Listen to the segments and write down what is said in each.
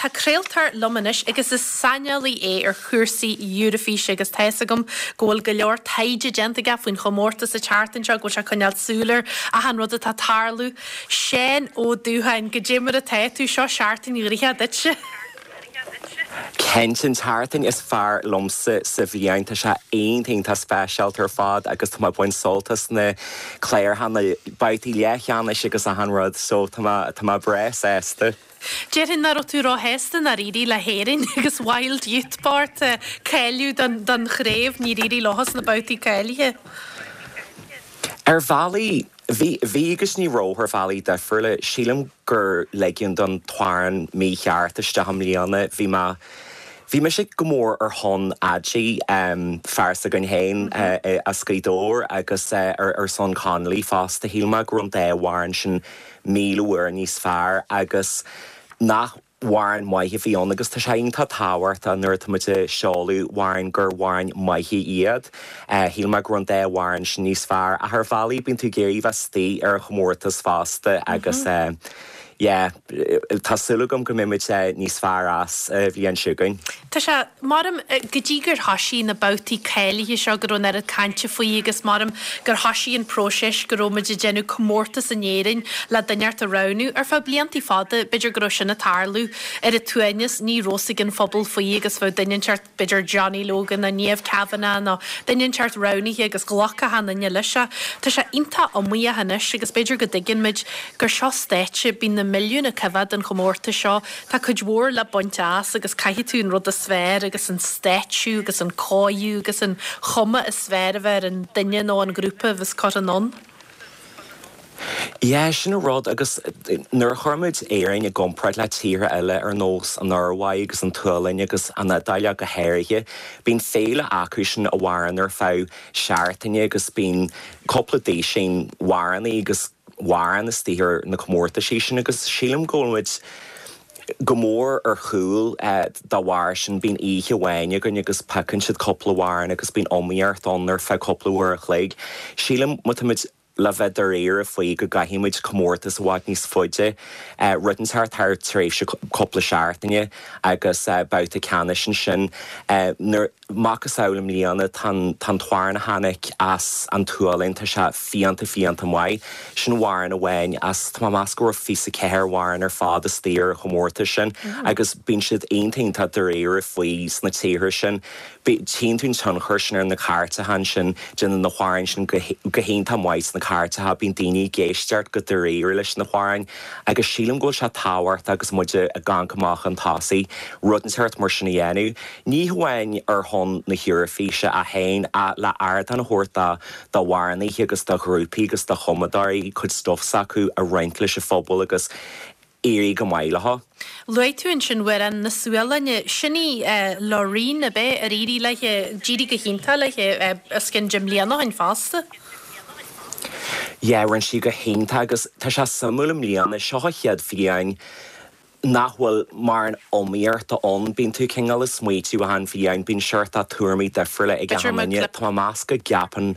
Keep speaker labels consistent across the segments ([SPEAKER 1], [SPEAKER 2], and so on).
[SPEAKER 1] tá craoltóir liom anois agus is saineolaí é ar chúrsaí Eurofíse agus tá fhios agam go bhfuil go leor taighde déanta aige faoin chomórtas an tseachtain seo, go bhfuil sé ag coinneáil súil ar achan rud atá ag tarlú. Seán Ó Dúcháin, goidé mar atá tú? Seo seachtain ghnoitheach duitse.
[SPEAKER 2] Cinnte, an tseachtain is fearr liomsa sa bhliain. Tá sé iontach, iontach speisialta ar fad agus tá mé ag baint sult as na cláracha, na babhtaí leathcheannais agus achan rud so tá mé, tá mé breá sásta.
[SPEAKER 1] Déarfainn nach raibh tú róshásta nár éirigh le hÉirinn agus Wild Youth bocht cáiliú don, don chraobh, níor éirigh leo sna babhtaí cáilithe.
[SPEAKER 2] Ar bhealaí, bhí, bhí agus ní raibh ar bhealaí difriúla. Sílim gur ligeadh don t-amhrán mícheart isteach i mbliana. Bhí mé, bhí mise go mór ar shon Adi, fear s'againn féin as Gaoth Dobhair agus ar son Connolly fosta. Shíl mé go raibh an dá amhrán sin 1,000 uair níos fearr agus nach amhráin maithe a bhí ann agus tá sé iontach tábhachtach nuair atá muid ag seoladh amhráin gur amhráin maithe iad. Shíl mé go raibh an dá amhrán sin níos fearr ach ar bhealaí bíonn tú ag iarraidh bheith istigh ar an chomórtas fosta agus yeah tá súil agam go mbeidh muid níos fearr as an bhliain seo chugainn.
[SPEAKER 1] Tá sé, maram, go dtí gur thoisigh na babhtaí cáilithe seo go raibh an oiread cainte faoi agus maram gur thoisigh an próiseas go raibh muid ag déanamh comórtas in Éirinn le duine inteacht a roghnú. Ar feadh bliantaí fada, b'fhéidir go raibh sin ag tarlú ar an tsuaimhneas, ní raibh fhios ag an phobal faoi agus bheadh duine inteacht, b'fhéidir Johnny Logan nó Niamh Kavanagh nó duine inteacht roghnaithe agus ghlacfadh achan duine leis. Tá sé iontach iomaíoch anois agus b'fhéidir go dtuigeann muid gur seo stáitse, bíonn na milliúin ag coimhéad an chomórtais seo. Tá cuid mhór le baint as agus caithfidh tú an rud is fearr agus an stáitsiú agus an cóiriú agus an chuma is fearr a bheith ar an duine nó an grúpa a bheas curtha anonn.
[SPEAKER 2] Yeah, sin an rud agus nuair a chuir muid Éirinn i gcomparáid le tíortha eile ar nós an Ioruaidh agus an tSualainn agus an Iodáil ach go háirithe, bíonn féile acu sin a mhaireann ar feadh seachtaine agus bíonn cúpla duisín amhránaí agus amhrán istigh ar na comórtaisí sin agus sílim go bhfuil muid go mór ar chúl dá bharr sin. Bíonn oíche amháin againn agus piocann siad cúpla amhrán agus bíonn iomaíocht ann ar feadh cúpla uair a chloig. Sílim má tá muid le bheith dáiríre faoi go gcaithfidh muid comórtas i bhfad níos faide, rud inteacht thar tréimhse cúpla seachtaine agus babhta ceannais ansin. Nuair. Macasamhail i mbliana, tá an t-amhrán a tháinig as an tSualainn, tá sé fiánta fiánta maith. Sin amhrán amháin as, tá mé ag meas go raibh 24 amhrán ar fad istigh ar an chomórtas sin agus bíonn siad iontach iontach dáiríre faoi sna tíortha sin. Tchíonn tú an tionchar sin ar na cairteacha ansin, déanann na hamhráin sin go hiontach maith sna cairteacha, bíonn daoine ag éisteacht go dáiríre leis na hamhráin agus sílim go bhfuil sé tábhachtach agus muid ag amharc amach chun tosaigh, rud inteacht mar sin a dhéanamh. Ní hamháin ar shon na hEoraifíse é féin, ach le ardán a thabhairt d'amhránaithe agus do ghrúpaí agus do chumadóirí cuid stuif s'acu a roinnt leis an phobal agus éirí go maith leo.
[SPEAKER 1] Luaigh tú ansin amhrán na Sualainne. Sin í Loreen, ab ea, ar éirigh léi, d'éirigh go hiontach léi os cionn 10 mbliana ó shin fosta.
[SPEAKER 2] Yeah, rinne sí go hiontach agus tá sé suimiúil i mbliana, seo a chéad bhliain nach bhfuil mórán iomaíochta ann. Bíonn tú cineál ag smaoitiú achan bhliain, bíonn seort tuairimí difriúla ag achan duine. Tá mé ag meas go gceapann.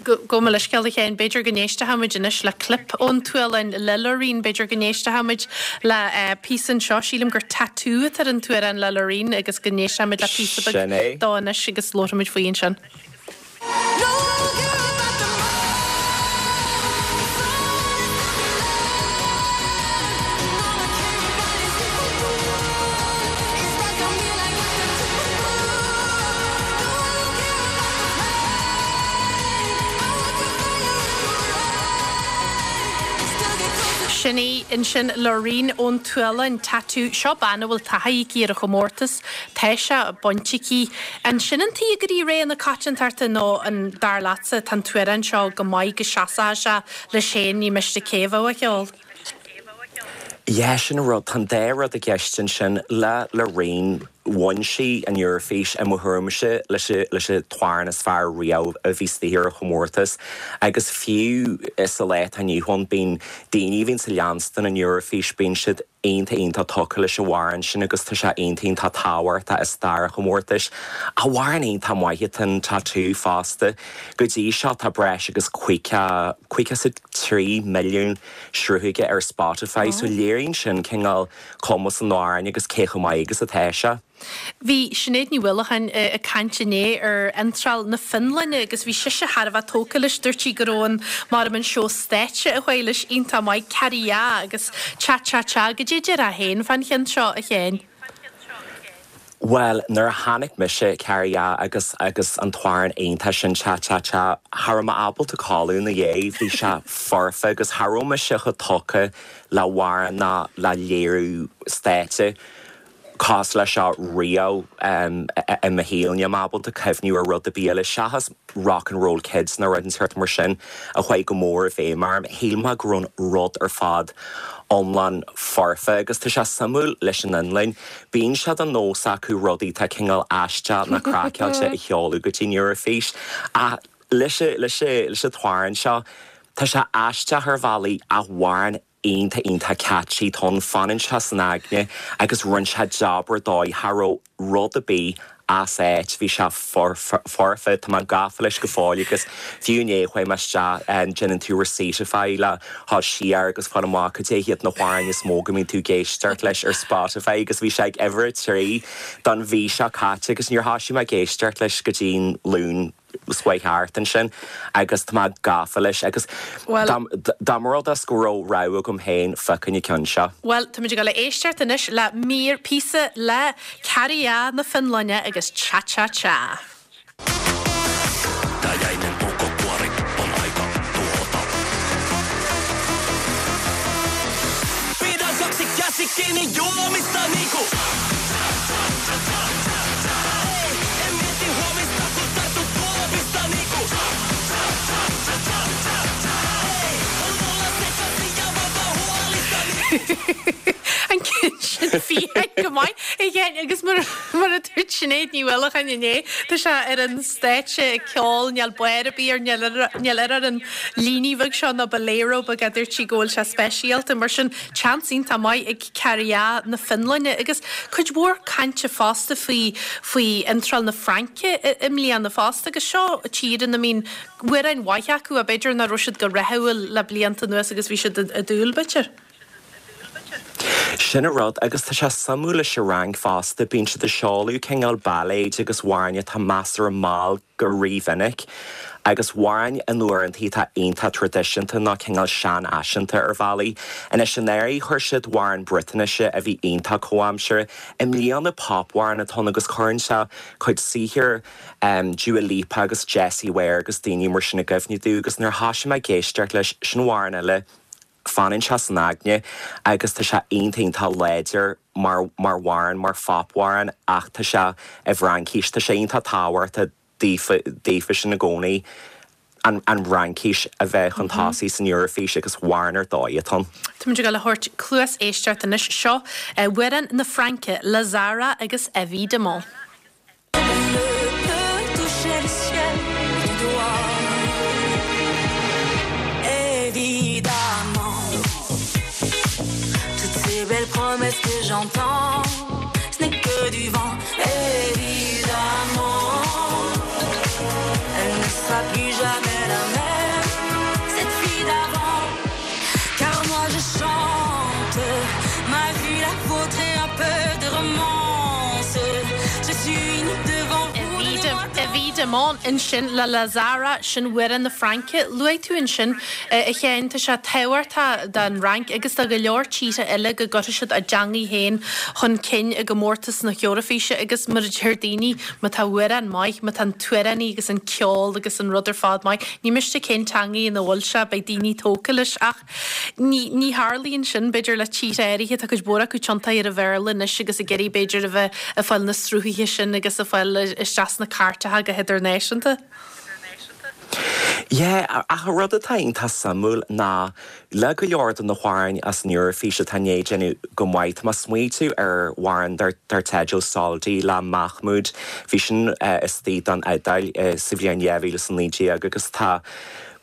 [SPEAKER 1] Gabh mo leithscéal a Sheáin, b'fhéidir go n-éistfidh muid anois le clip ón tSualainn le Loreen, b'fhéidir go n-éistfidh muid le píosa anseo, sílim gur Tattoo atá ar an t-amhrán le Loreen agus go n-éistfidh muid le píosa beag dó anois agus labharfaidh muid faoi ansin. Sin í ansin Loreen ón tSualainn, Tattoo. Seo bean a bhfuil taithí aici ar an chomórtas. Tá sé bainte aici. An sin an tuige gur í rogha na coitiantachta nó an dar leatsa tá an t-amhrán seo go maith go seasfadh sé leis féin ní miste cé a bheadh á cheol?
[SPEAKER 2] Yeah, sin an rud, tá an dá rud i gceist ansin le Loreen. Bhain sí an Eoraifís, i mo thuairimse, leis leis an t-amhrán is fearr riamh a bhí istigh ar an chomórtas. Agus fiú sa lá atá inniu ann, bíonn daoine a bhíonns ag leanstan an Eoraifís, bíonn siad iontach iontach tógtha leis an amhrán sin agus tá sé iontach iontach tábhachtach i stair an chomórtais. Amhrán iontach maith atá in Tattoo fosta. Go dtí seo tá breis agus 53 milliún sruth aige ar Spotify so léiríonn sin cineál cumas an amhráin agus cé chomh maith agus atá sé.
[SPEAKER 1] Bhí Sinéad Ní Uallacháin ag caint inné ar iontráil na Fionlainne agus bhí sise thar a bheith tógtha leis. Dúirt sí go raibh an, maram an seó stáitse a chuaigh leis iontach maith, Käärijä agus Cha Cha Cha. Goidé a déarfá féin fán cheann seo, a Sheáin?
[SPEAKER 2] Bhuel, nuair a chonaic mise Käärijä agus agus an t-amhrán iontach sin Cha Cha Cha, cha raibh mé ábalta codladh ina dhiaidh, bhí sé foirfe agus cha raibh mise chomh tógtha le hamhrán ná le léiriú stáitse cosúil leis seo riamh i mo shaol. Níl mé ábalta cuimhniú ar rud ar bith eile seachas Rock and Roll Kids nó rud inteacht mar sin a chuaigh go mór i bhfeidhm orm. Shíl mé go raibh an rud ar fad iomlán foirfe agus tá sé suimiúil leis an Fhionlainn, bíonn sé de nós acu rudaí atá cineál aisteach nó craiceáilte a sheoladh go dtí an Eoraifís ach leis an t-amhrán seo tá sé aisteach ar bhealaí ach amhrán iontach iontach catchy atá ann, fanann sé san aigne agus rinne sé jab ar dóigh, cha raibh rud ar bith as áit, bhí sé foirfe, tá mé gafa leis go fóill agus fiú inné chuaigh mé isteach, déanann tú Receiptify le dhul siar agus fáil amach cad é hiad na hamhráin is mó go mbíonn tú ag éisteacht leis ar Spotify agus bhí sé ag uimhir a 3 don mhí seo caite agus níor thoisigh mé ag éisteacht leis go dtí an Luan seo chuaigh thart ansin agus tá mé gafa leis agus dá mba rud é go raibh rogha agam féin phiocfainn an ceann seo.
[SPEAKER 1] Bhuel, táimid ag dul a éisteacht anois le mír, píosa le Käärijä na Fionlainne agus Cha Cha Cha.
[SPEAKER 3] Tää jäinen puukkokuori on aika tuhota. Pidä kaksi käsi kiinni juomista niinku. Ei, en mieti huomista kun tartu tuopista niinku. Ei, on mulla sekaisin ja vapaa huolista niinku.
[SPEAKER 1] An ceann sin fiáin go maith a Sheáin agus mar a dúirt Sinéad Ní Uallacháin inné, tá sé ar an stáitse ag ceol, níl barr ar bith air, níl air ar an líne bheag seo nó bolero beag a dúirt sí go bhfuil sé speisialta. Mar sin, seans iontach maith ag Käärijä na Fionlainne agus cuid mhór cainte fosta faoi faoi iontráil na Fraince i mbliana fosta agus seo tír ina mbíonn amhráin mhaithe acu ach b'fhéidir nach raibh siad go rathúil le blianta anuas agus bhí siad i dúil b'fhéidir.
[SPEAKER 2] Sin an rud, agus tá sé suimiúil leis an Fhrainc fosta, bíonn siad ag seoladh cineál bailéid agus amhráin atá measartha mall go rímhinic, agus amhráin in uaireantaí atá iontach traidisiúnta nó cineál seanfhaiseanta ar bhealaí. Anois anuraidh chuir siad amhrán Briotáinise a bhí iontach comhaimseartha. I mbliana popamhrán atá ann agus cuireann sé cuid saothair Dua Lipa agus Jessie Ware agus daoine mar sin i gcuimhne domh agus nuair a thoisigh mé ag éisteacht leis, sin amhrán eile, Fanann sé san aigne agus tá sé iontach iontach láidir mar mar amhrán, mar phopamhrán ach tá sé i bhFraincis. Tá sé iontach tábhachtach daofa daofa sin i gcónaí an an Fhraincis a bheith chun tosaigh san Eoraifís agus amhrán ar dóigh atá ann.
[SPEAKER 1] Táimid ag dul a thabhairt cluas éisteachta anois. Seo amhrán na Fraince le Zara agus Évidemment. Évidemment ansin le le Zara, sin amhrán na Fraince. Luaigh tú ansin, a Sheáin, tá sé tábhachtach don Fhrainc agus do go leor tíortha eile go gcuirfidh siad a dteangaidh féin chun cinn i gcomórtas na hEoraifíse agus mar a deir daoine, má tá amhrán maith, má tá an t-amhránaí agus an ceol agus an rud ar fad maith, ní miste cén teangaidh ina bhfuil sé, beidh daoine tógtha leis ach Ní, ní tharlaíonn sin, b'fhéidir, le tíortha áirithe. Tá cuid mhór acu tiontaithe ar an Bhéarla anois agus ag iarraidh, b'fhéidir, a bheith ag fáil na sruthaithe sin agus ag fáil isteach sna cairteacha go hidirnáisiúnta.
[SPEAKER 2] Yeah, ach an rud atá iontach suimiúil ná le go leor de na hamhráin as an Eoraifís atá i ndiaidh déanamh go maith, tá mé ag smaoitiú ar amhrán dar teideal Soldi le Mahmood, bhí sin istigh don Iodáil sa bhliain 2019 agus tá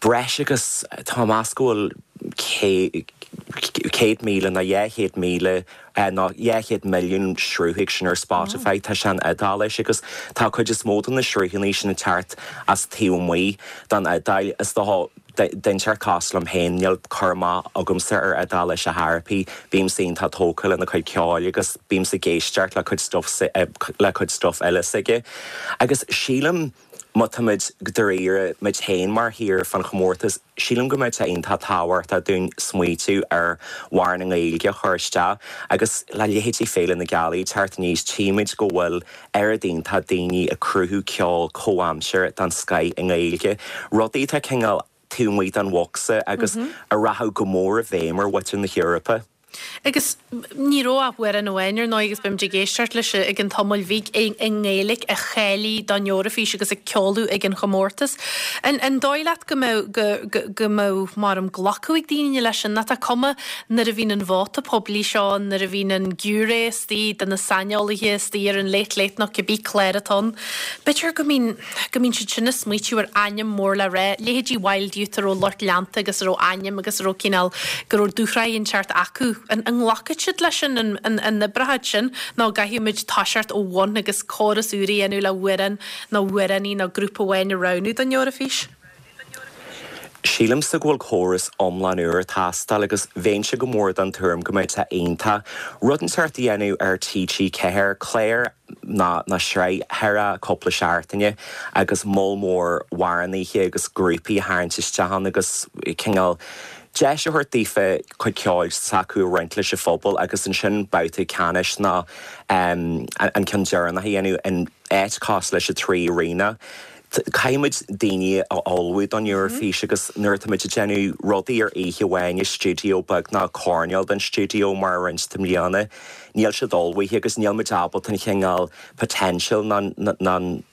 [SPEAKER 2] breis agus, tá mé ag meas go bhfuil 100,000 nó 200,000 nó 200 milliún sruth aige sin ar Spotify. Tá sé in Iodáilis agus tá cuid is mó de na sruthanna sin ag teacht as taobh amuigh den Iodáil. Is dócha, duine inteacht cosúil liom féin, níl cur amach agamsa ar Iodáilis ar chor ar bith. Bímse iontach tógtha lena cuid ceoil agus bímse ag éisteacht le cuid stuff le cuid stuff eile s'aige. Agus sílim, má táimid dáiríre, muid féin mar thír fán chomórtas, sílim go mbeadh sé iontach tábhachtach dúinn smaoitiú ar amhrán i nGaeilge a chur isteach agus le leithéidí Féile na Gealaí ag teacht aníos, tchímid go bhfuil oiread iontach daoine ag cruthú ceol comhaimseartha den scoith i nGaeilge, rudaí atá cineál taobh amuigh den bhocsa agus a rachadh go mór i bhfeidhm ar mhuintir na hEorpa.
[SPEAKER 1] Agus ní raibh ach amhrán amháin, ar ndóigh, agus beimid ag éisteacht leis i gcionn tamaill bhig, i nGaeilge a cháiligh don Eoraifís agus a ceoladh ag an chomórtas. An dóigh leat go mbeadh, go, go mbeadh, mar an glacadh ag daoine leis sin? Nó tá cuma nuair a bhíonn an vóta poiblí seo ann, nuair a bhíonn an giúiré istigh de na saineolaithe istigh ar an Late Late nó cibé clár atá ann, b'fhéidir go mbíonn, go mbíonn siad sin ag smaoitiú ar ainm mór le rá, leithéidí Wild Youth a raibh lucht leanta agus a raibh ainm agus a raibh cineál, go raibh dúshraith inteacht acu. An nglacfaidh siad leis sin, an n-oibreoidh sin nó an gcaithfidh muid toiseacht ó bhun agus córas úr a dhéanamh le hamhrán nó amhránaí nó grúpa amháin a roghnú don Eoraifís?
[SPEAKER 2] Sílimse go bhfuil córas iomlán úr ag teastáil agus bheinnse go mór den tuairim go mbeadh sé iontach rud inteacht a dhéanamh ar TG4, clár ná ná sraith thar cúpla seachtaine agus moll mór amhránaithe agus grúpaí a tharraingt isteach ann agus cineál deis a thabhairt daofa cuid ceoil s'acu a roinnt leis an phobal agus ansin babhta ceannais ná an ceann deireanach a dhéanamh in áit cosúil leis an Three Arena. Caithfidh muid daoine a ullmhú don Eoraifís agus nuair atá muid ag déanamh rudaí ar oíche amháin i stiúideo beag nó coirnéal den stiúideo mar a rinne i mbliana, níl siad ullmhaithe agus níl muid ábalta an chineál potential ná an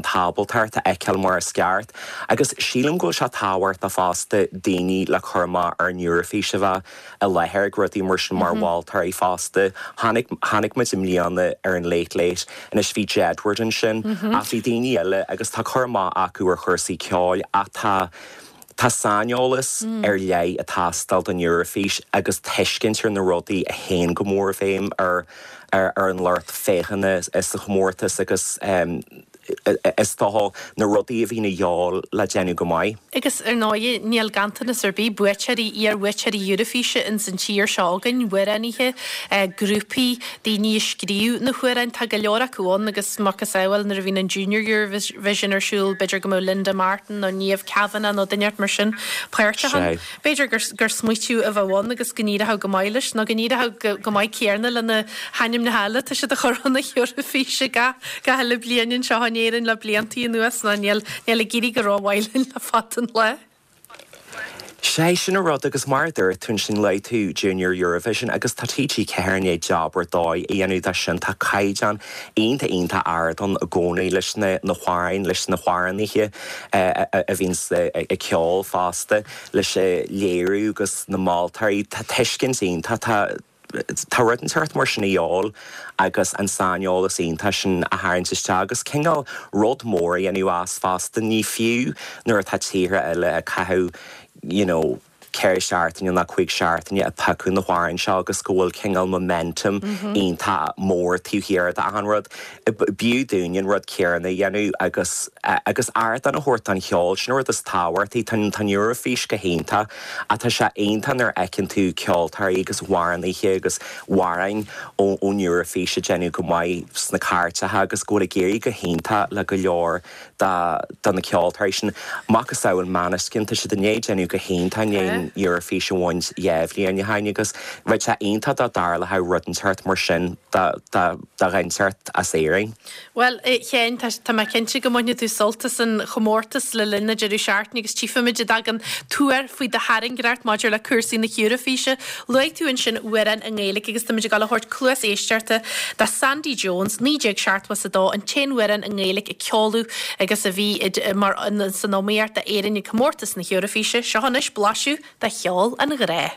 [SPEAKER 2] t-ábaltacht a fheiceáil mar is ceart. Agus sílim go bhfuil sé tábhachtach fosta daoine le cur amach ar an Eoraifís a bheith i láthair ag rudaí mar sin mar mholtóirí fosta. Chonaic, chonaic muid i mbliana ar an Late Late, anois bhí Jedward ansin ach bhí daoine eile agus tá cur amach acu ar chúrsaí ceoil ach tá, tá saineolas ar leith ag teastáil don Eoraifís agus tuiscint ar na rudaí a théann go mór i bhfeidhm ar, ar an lucht féachana sa chomórtas agus. is dócha, na rudaí a bhíonn a dhíobháil le déanamh go maith.
[SPEAKER 1] Agus, ar ndóigh, níl ganntanas ar bith buaiteoirí, iar-bhuaiteoirí Eurofíse ins an tír seo againn, amhránaithe, grúpaí, daoine a scríobh na hamhráin, tá go leor acu ann agus macasamhail nuair a bhíonn an Junior Eurovision ar siúl, b'fhéidir go mbeadh Linda Martin nó Niamh Kavanagh nó duine inteacht mar sin páirteach ann. B'fhéidir gur smaoitiú a bheadh ann agus go n-éireodh go maith leis, nó go n-éireodh go maith céarna le na hainmneacha eile atá siad a chur chun na hEoraifíse gach uile bliain anseo in Éirinn le bliantaí anuas, nó níl ag éirí go rómhaith linn le fada an lá.
[SPEAKER 2] Sé sin an rud agus mar a dúirt tú ansin luaigh tú Junior Eurovision agus tá TG4 i ndiaidh jab ar dóigh a dhéanamh de sin, tá caighdeán iontach iontach ard ann i gcónaí leis na hamhráin, leis na hamhránaithe a bhíonns ag ceol fosta, leis an léiriú agus na moltóirí, tá tuiscint iontach, tá tá rud inteacht mar sin a dhíobháil agus an saineolas iontach sin a tharraingt isteach agus cineál rud mór a dhéanamh as fosta. Ní fiú nuair atá tíortha eile ag caitheamh you know 4 seachtaine nó 5 seachtaine ag piocadh na hamhráin seo agus go bhfuil cineál momentum iontach mór taobh thiar d'achan rud. B'fhiú dúinn an rud céanna a dhéanamh agus agus ardán a thabhairt don cheol, sin an rud is tábhachtaí. Tá an Eoraifís go hiontach ach tá sé iontach nuair a fheiceann tú ceoltóirí agus amhránaithe agus amhráin ón Eoraifís ag déanamh go maith sna cairteacha agus go bhfuil ag éirí go hiontach le go leor de na ceoltóirí sin. Macasamhail Måneskin, tá siad i ndiaidh déanamh go hiontach i ndiaidh. an Eoraifís a bhaint 2 bhliain ó shoin agus bheadh sé iontach dá dtarlódh rud inteacht mar sin do dhuine inteacht as Éirinn.
[SPEAKER 1] Bhuel, a Sheáin, tá mé cinnte go mbainfidh tú sult as an chomórtas le linn an deireadh seachtaine agus tchífimid an dtagann tuar faoi do thairngreacht maidir le cúrsaí na hEoraifíse. Luaigh tú ansin amhrán i nGaeilge agus táimid ag dul a thabhairt cluas éisteachta do Sandy Jones, 1972, an t-aon amhrán i nGaeilge a ceoladh agus a bhí mar san iomaíocht d'Éirinn ag comórtas na hEoraifíse. Seo anois blaiseadh de cheol an ghrá.